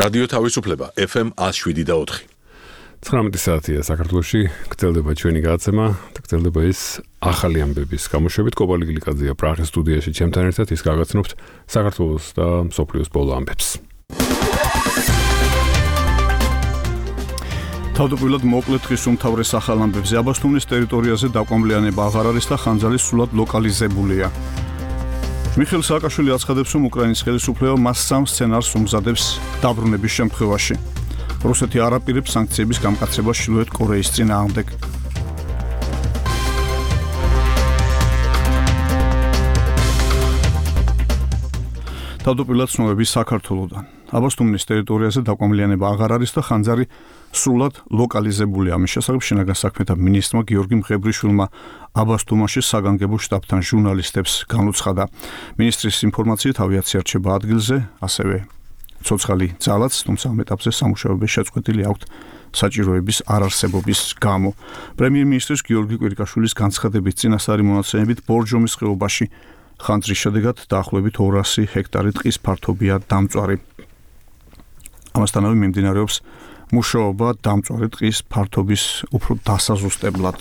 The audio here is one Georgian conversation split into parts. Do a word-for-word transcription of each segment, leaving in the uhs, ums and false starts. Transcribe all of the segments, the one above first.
რადიო თავისუფლება ეფ ემ one oh seven და four. ცხრამეტი საათია საქართველოში, გრძელდება ჩვენი გადაცემა და გრძელდება ის ახალი ამბების გამოშვებით. კობალი გლიკაძეა პრაღის სტუდიაში ჩემთან ერთად, ის გაგაცნობთ საქართველოს და მსოფლიოს ბოლო ამბებს. თავდაპირველად მოკლედ დღის უმთავრეს ახალ ამბებზე. აბასთუმნის ტერიტორიაზე დაკვამლიანება აღარ არის და ხანძარი სრულად ლოკალიზებულია. მიხეილ სააკაშვილი აცხადებს, რომ უკრაინის ხელისუფლება მას სამ სცენარს უმზადებს დაბრუნების შემთხვევაში. რუსეთი არ აპირებს სანქციების გამკაცებას ჩრდილოეთ კორეის წინააღმდეგ. თავდაპირველად ცნობები საქართველოდან. აბასთუმნის ტერიტორიაზე დაკვამლიანება აღარ არის და ხანძარი სრულად ლოკალიზებულია. ამის შესახებ შინაგან საქმეთა მინისტრმა გიორგი მღებრიშვილმა აბასთუმაში საგანგებო შტაბთან ჟურნალისტებს განუცხადა. მინისტრის ინფორმაციით ავიაცია რჩება ადგილზე, ასევე ცოცხალი ძალაც, თუმცა ამ ეტაპზე სამუშაოები შეწყვეტილი აქვთ საჭიროების არარსებობის გამო. პრემიერ-მინისტრის გიორგი კვირიკაშვილის განცხადებით წინასწარი მონაცემებით ბორჯომის ხეობაში ხანძრის შედეგად დაახლოებით ორასი ჰექტარი ტყის ფართობია დამწვარი. ამასთანავე მიმდინარეობს მუშაობა დამწვარი ტყის ფართობის უფრო დასაზუსტებლად.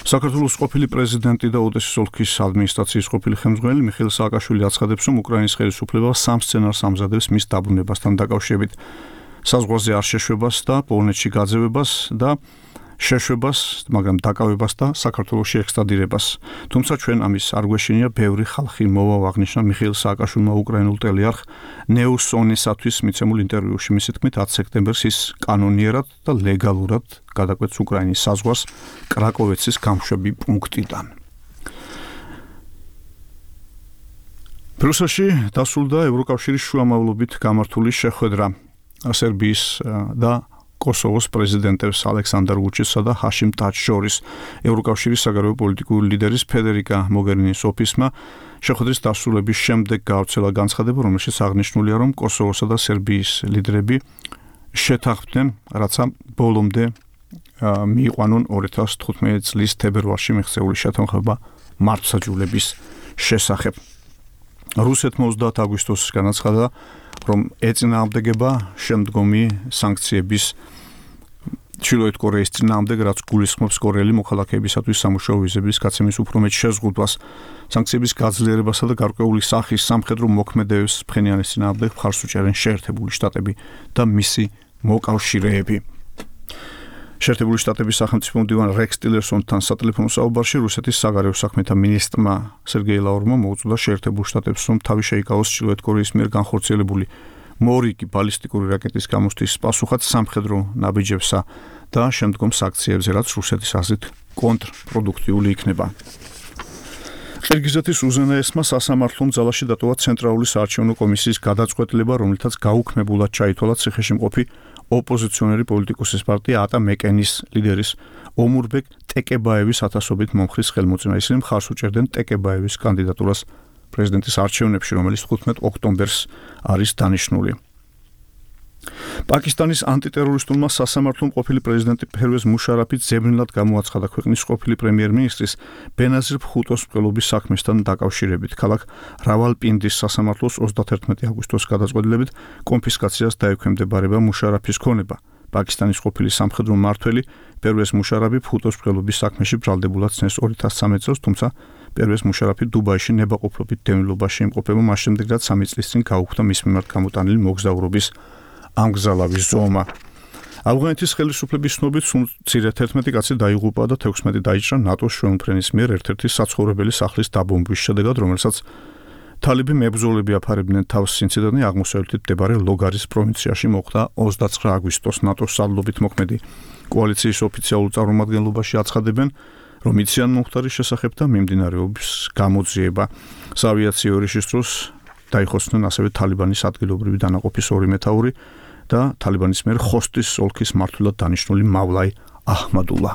საქართველოს ყოფილი პრეზიდენტი და ოდესის ოლქის ადმინისტრაციის ყოფილი ხელმძღვანელი მიხეილ სააკაშვილი აცხადებს, რომ უკრაინის ხელისუფლება სამ სცენარს ამზადებს მის დაბრუნებასთან დაკავშირებით. საზღვარზე არ შეშვებას და პოლონეთში გაძევებას და შეშვებას, მაგრამ დაკავებას და საქართველოში ექსტრადირებას. თუმცა ჩვენ ამის არ გვეშინია, ბევრი ხალხი მოვა, აღნიშნა მიხეილ სააკაშვილმა უკრაინულ ტელეარხ ნეუსონისათვის მიცემულ ინტერვიუში. მისი თქმით, ათი სექტემბერს ის კანონიერად და ლეგალურად გადაკვეთს უკრაინის საზღვარს კრაკოვეცის გამშვები პუნქტიდან. ბრიუსელში დასრულდა ევროკავშირის შუამავლობით გამართული შეხვედრა სერბიის და კოსოვოს პრეზიდენტებს ალექსანდრ ვუჩიჩსა და ჰაშიმ ტაჩს შორის. ევროკავშირის საგარეო პოლიტიკური ლიდერის ფედერიკა მოგერინის ოფისმა შეხვედრის დასრულების შემდეგ გავრცელა განცხადება, რომელშიც აღნიშნულია, რომ კოსოვოსა და სერბიის ლიდერები შეთანხმდნენ, რაცა ბოლომდე მიიყვანონ ორი ათას თხუთმეტი წლის თებერვალში მიღწეული შეთანხმება მართლმსაჯულების შესახებ. რუსეთმა ოცდაათი აგვისტოს განაცხადა, რომ ეწინააღმდეგება შემდგომი სანქციების ჩრდილოეთ კორეის წინააღმდეგ, რაც გულისხმობს კორეელი მოქალაქეებისათვის სამუშაო ვიზების გაცემის უფრო მეტ შეზღუდვას. სანქციების გაძლიერებასა და გარკვეული სახის სამხედრო მოქმედების ფხენიანის წინააღმდეგ მხარს უჭერენ შეერთებული შტატები და მისი მოკავშირეები. შეერთებული შტატების სახელმწიფო მდივან რექს ტილერსონთან სატელეფონო საუბარში რუსეთის საგარეო საქმეთა მინისტრმა სერგეი ლავროვმა მოუწოდა შეერთებულ შტატებს, რომ თავი შეიკავოს ჩრდილოეთ კორეის მიერ განხორციელებული მორიგი ბალისტიკური რაკეტის გამოსთვის პასუხად სამხედრო ნაბიჯებსა და შემდგომ სანქციებზე, რაც რუსეთის აზრით კონტრპროდუქტიული იქნება. ყირგიზეთის უზენაესმა სასამართლომ ძალაში დატოვა ცენტრალური საარჩევნო კომისიის გადაწყვეტილება, რომლითაც გაუქმებულად ჩაითვალა ციხეში მყოფი ოპოზიციონერი პოლიტიკოსის პარტია ატა მეკენის ლიდერის ომურბეკ ტეკებაევის ათასობით მომხრის ხელმოწმება. ისინი მხარს უჭერდნენ ტეკებაევის კანდიდატურას პრეზიდენტის არჩევნებში, რომელიც თხუთმეტ ოქტომბერს არის დანიშნული. პაკისტანის ანტიტერორისტულმა სასამართლომ ყოფილი პრეზიდენტი ფერვეზ მუშარაფი ძებნელად გამოაცხადა ქვეყნის ყოფილი პრემიერ-მინისტრის ბენაზირ ბჰუტოს მკვლელობის საქმესთან დაკავშირებით. ქალაქ რავალპინდის სასამართლოს ოცდათერთმეტი აგვისტოს გადაწყვეტილებით კონფისკაციას დაექვემდებარება მუშარაფის ქონება. პაკისტანის ყოფილი სამხედრო მმართველი ფერვეზ მუშარაფი ბჰუტოს მკვლელობის საქმეში ბრალდებულად ცნეს ორი ათას სამი წელს, თუმცა ფერვეზ მუშარაფი დუბაიში ნებაყოფლობით დევნილობაში იმყოფება, მას შემდეგ რაც სამი წლის წინ გაუქმდა მის მიმართ გამოტანილი მოგზაურობის ამგზალავის ზომა. ავღანეთის ხელისუფლების ცნობით მცირე თერთმეტი კაცი დაიღუპა და თექვსმეტი დაიჭრა ნატოს შვეუნფრენის მიერ ერთ-ერთი საცხოვრებელი სახლის დაბომბვის შედეგად, რომელსაც თალიბი მებრძოლები აფარებდნენ თავს. ინციდენტი აღმოსავლეთით მდებარე ლოგარის პროვინციაში მოხდა ოცდაცხრა აგვისტოს. ნატოს სარდლობით მოქმედი კოალიციის ოფიციალურ წარმომადგენლობაში აცხადებენ, რომ იციან მომხდარის შესახებ და მიმდინარეობს გამოძიება. საავიაციო ურიშის დროს დაიხოცნენ ასევე თალიბანის ადგილობრივი დანაყოფის ორი მეთაური და თალიბანის მიერ ხოსტის ოლქის მმართველად დანიშნული მავლაი აჰმადულა.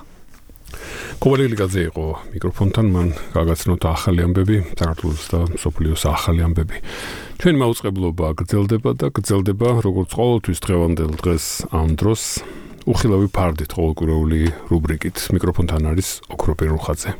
კობალი გლიკაძე იყო მიკროფონთან, მან გაგაცნოთ ახალი ამბები, საქართველოს და მსოფლიოს ახალი ამბები. ჩვენი მაუწყებლობა გრძელდება და გრძელდება როგორც ყოველთვის დღევანდელ დღეს ამ დროს უხილავი ფარდით ყოველკვირეული რუბრიკით. მიკროფონთან არის ოქროპირ რუხაძე.